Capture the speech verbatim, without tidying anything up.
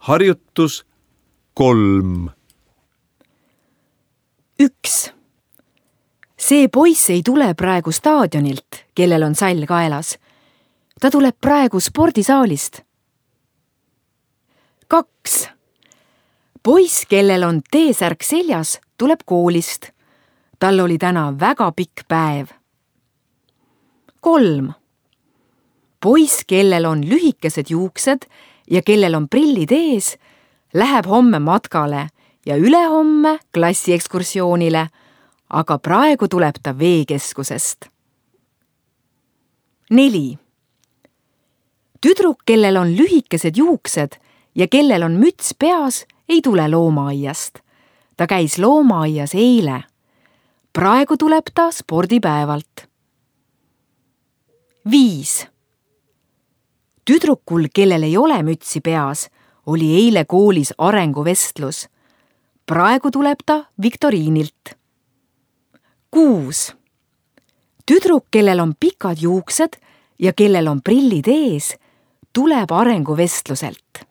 Harjutus kolm. üks. See poiss ei tule praegu staadionilt, kellel on sall kaelas. Ta tuleb praegu spordisaalist. kaks. Poiss, kellel on T-särk seljas, tuleb koolist. Tal oli täna väga pikk päev. kolm. Poiss, kellel on lühikesed juuksed ja kellel on prillid ees, läheb homme matkale ja ülehomme klassiekskursioonile, aga praegu tuleb ta veekeskusest. neli. Tüdruk, kellel on lühikesed juuksed ja kellel on müts peas, ei tule loomaaiast. Ta käis loomaaias eile. Praegu tuleb ta spordipäevalt. viis. Tüdrukul, kellel ei ole mütsi peas, oli eile koolis arenguvestlus. Praegu tuleb ta viktoriinilt. kuus. Tüdruk, kellel on pikad juuksed ja kellel on prillid ees, tuleb arenguvestluselt.